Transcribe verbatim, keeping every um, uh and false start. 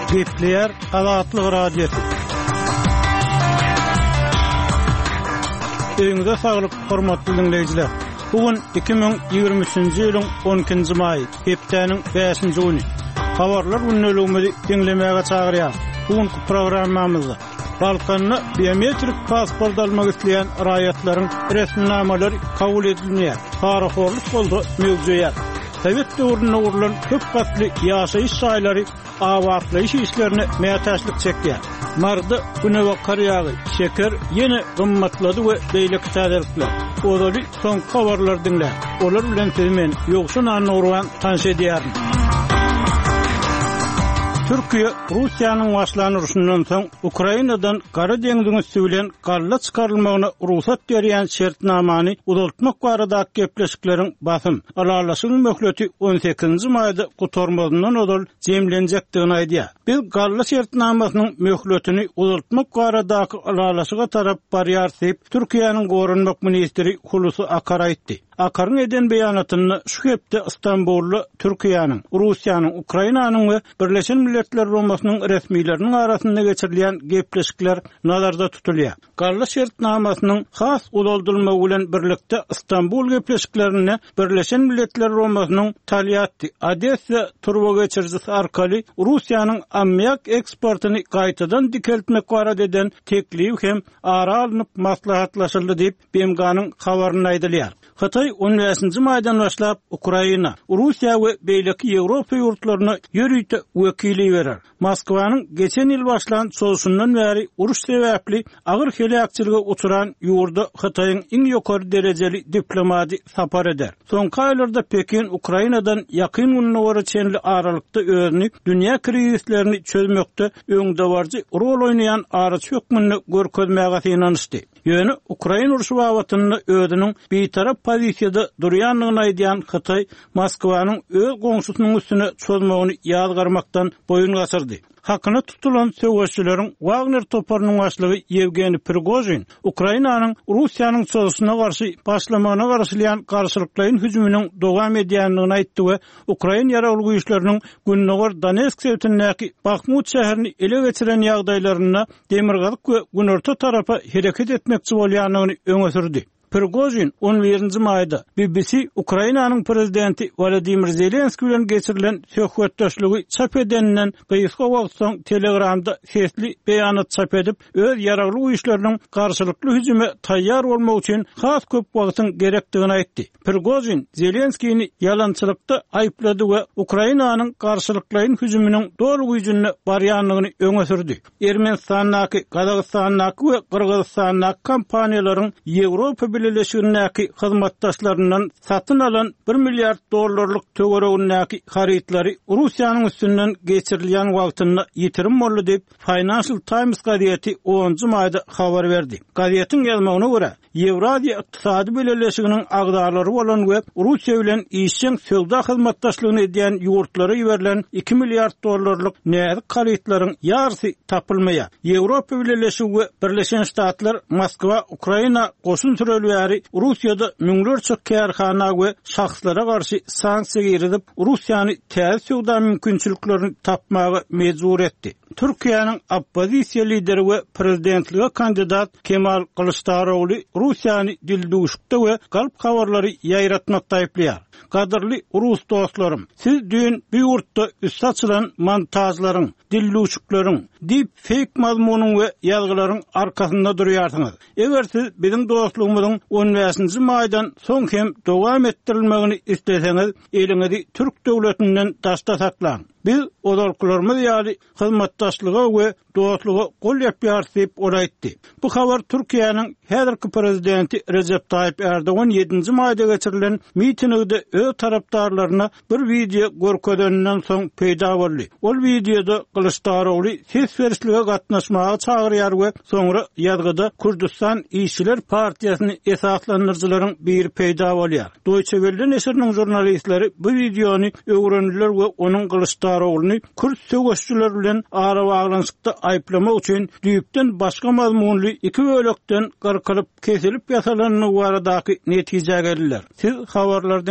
Gepleýär Azatlyk Radiosy. Öýüňize saglyk, hormatly diňleýjiler. Bu gün iki müň ýigrimi üçünji ýylyň on ikinji maýy, hepdäniň bäşinji güni. Habarlar gündeligimizi diňlemäge çagyrýar. Bu günki programmamyzda Balkanda biometrik pasport almak isleýän raýatlaryň resminamalary kabul edilmeýär. Parahorluk bolsa möwjeýär. Sowet döwründe gurlan köp gatly ýaşaýyş jaýlary abatlaýyş işlerine mätäçlik çekýär. Maryda günebakar ýagy, şeker ýene gymmatlady we beýleki täzelikler. Ozaly soňky habarlary diňläň. Olar bilen sizi men Ýowşan Annagurban tanyş edýärin. Türkiýe Russiýanyň başlan urşundan soň Ukrainadan Gara deňziň üsti bilen galla çykarylmagyna rugsat berýän şertnamany uzaltmak baradaky gepleşikleriň basym, ylalaşygyň möhleti on sekizinji maýda gutarmazyndan ozal jemlenjekdigini aýdýar. Biz galla şertnamasynyň möhletini uzaltmak baradaky ylalaşyga tarap barýar diýip, Türkiýäniň Goranmak ministri Hulusi Akar aýtdy. Akaryň eden beýanatynda şu hepde Istanbulda Türkiýäniň, Russiýanyň, Ukrainanyň we Birleşen Milletler Guramasynyň resmileriniň arasynda geçirilýän gepleşikler nazarda tutulýar. Galla şertnamasynyň has uzaldylmagy bilen birlikde Istanbul gepleşiklerinde Birleşen Milletler Guramasynyň Tolyatti, Odessa turba geçirijisi arkaly Russiýanyň ammiak eksportyny gaýtadan dikeltmek barada eden teklibi hem ara alnyp maslahatlaşyldy diýip B M G-nyň habarynda aýdylýar. Hytaý on bäşinji maýdan başlap Ukraina, Russiýa we beýleki Ýewropa ýurtlaryna ýörite wekili berer. Moskwanyň geçen ýyl başlan çozuşyndan bäri uruş sebäpli agyr heläkçilige uçran ýurda Hytaýyň iň ýokary derejeli diplomady sapar eder. Soňky aýlarda Pekin Ukrainadan ýakyn günlere çenli aralykda özüni dünýä krizislerini çözmekde öňdebaryjy rol oýnaýan araçy hökmünde görkezmäge synanyşdy. Ýöne Ukraina urşy babatynda özüniň bitarap pozisiýada durýandygyny aýdýan Hytaý Moskwanyň öz goňşusynyň üstüne çozmagyny ýazgarmakdan boýun gaçyrdy. Hakyna tutulan söweşçileriň Wagner toparynyň başlygy Ýewgeniý Prigojin Ukrainanyň Russiýanyň çozuşyna garşy başlamagyna garaşylýan garşylyklaýyn hüjüminiň dowam edýändigini aýtdy we Ukraina ýaragly güýçleriniň Gündogar Donetsk sebitindäki Bahmut şäherini ele geçiren ýagdaýlarynda demirgazyk we günorta tarapa hereket etmekçi bolýandygyny öňe sürdi. Prigojin on birinji maýda B B C Ukrainanyň prezidenti Wladimir Zelenskiý bilen geçirilen söhbetdeşligi çap edeninden gysga wagt soň Telegramda sesli beýanat çap edip, öz ýaragly güýçleriniň garşylykly hüjüme taýýar bolmak üçin has köp wagtyň gerekdigini aýtdy. Prigojin Zelenskini ýalançylykda aýyplady we Ukrainanyň garşylyklaýyn hüjüminiň doly güýjünde barýandygyny öňe sürdi. Ermenistandaky, Gazagystandaky we Gyrgyzystandaky kompaniýalaryň Ýewropa Bileleşigindäki hyzmatdaşlaryndan satyn alan bir milliard dollarlyk töweregindäki harytlary Russiýanyň üstünden geçirilýän wagtynda ýitirim boldy diýip Financial Times gazeti onunjy maýda habar berdi. Gazetiň ýazmagyna görä, Ýewraziýa Ykdysady Bileleşiginiň agzalary bolan we Russiýa bilen işjeň söwda hyzmatdaşlygyny edýän ýurtlara iberilen iki milliard dollarlyk näzik harytlaryň ýarysy tapylmaýar. Ýewropa Bileleşigi we Birleşen Ştatlar Moskwa, Ukraina goşun sürelýäri Russiýada müňlerçe kärhana we şahslara garşy sanksiýa girizip, Russiýany täze söwda mümkinçiliklerini tapmaga mejbur etdi. Türkiýäniň oppozisiýa lideri we prezidentlige kandidat Kemal Kılıçdaroğlu Russiýany dildüwşükde we galp habarlary ýaýratmakda aýyplaýar. Gadyrly Rus dostlarym, siz düýn bu ýurtda üsti açylan montajlaryň, dildüwşükleriň, deep fake mazmunyň we ýazgylaryň arkasynda durýarsyňyz. Eger siz biziň dostlugymyzyň on bäşinji maýdan soň hem dowam etdirilmegini isleseňiz, eliňizi Türk döwletinden daşda saklaň. Biz ozalkylarymyz ýaly hyzmatdaşlyga we dostluga gol ýapýarys diýip ol aýtdy. Bu habar Türkiýäniň häzirki prezidenti Recep Tayyip Erdogan ýedinji maýda geçirilen mitingde öz tarapdarlaryna bir wideo görkezeninden soň peýda boldy. Ol wideoda Kılıçdaroğlu ses berişlige gatnaşmaga çagyrýar we soňra ýazgyda Kürdistan Işçiler Partiýasyny esaslandyryjylaryň biri peýda bolýar. Deutsche Welle neşiriniň jurnalistleri bu wideony öwrendiler we onuň Kılıçdaroğluny Kürt söweşçiler bilen arabaglanyşykda aýyplamak üçin düýpden başga mazmunly iki bölekden gyrkylyp kesilip ýasalandygy baradaky netijä geldiler. Siz habarlardan